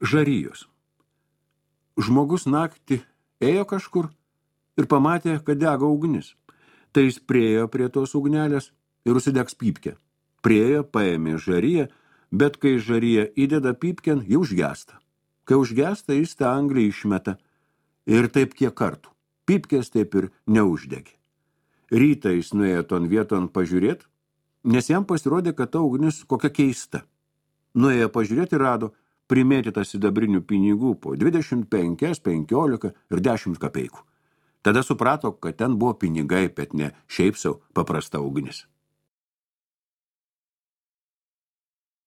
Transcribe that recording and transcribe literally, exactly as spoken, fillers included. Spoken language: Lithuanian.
Žarijos. Žmogus naktį ėjo kažkur ir pamatė, kad dega ugnis. Tai jis priejo prie tos ugnelės ir užsidegs pypkę. Priejo, paėmė žariją, bet kai žarija įdeda pypken, jau užgesta. Kai užgesta, jis tą anglį išmeta. Ir taip kiek kartų. Pypkės taip ir neuždegė. Rytą jis nuėjo ton vieton pažiūrėti, nes jam pasirodė, kad ta ugnis kokia keista. Nuėjo pažiūrėti ir rado primėtytą sidabrinių pinigų po dvidešimt penkias, penkiolika ir dešimt kapeikų. Tada suprato, kad ten buvo pinigai, bet ne šiaip sau paprasta ugnis.